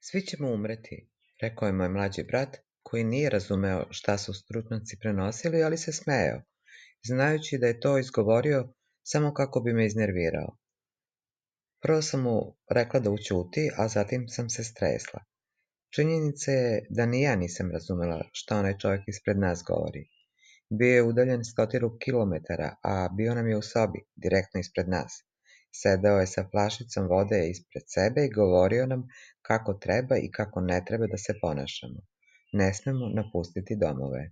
Svi ćemo umreti, rekao je moj mlađi brat, koji nije razumeo šta su stručnjaci prenosili, ali se smejao, znajući da je to izgovorio samo kako bi me iznervirao. Prvo sam mu rekla da ućuti, a zatim sam se stresla. Činjenica je da ni ja nisam razumela šta onaj čovjek ispred nas govori. Bio je udaljen 100 kilometara, a bio nam je u sobi, direktno ispred nas. Sedeo je sa flašicom vode ispred sebe i govorio nam kako treba i kako ne treba da se ponašamo. Ne smemo napustiti domove.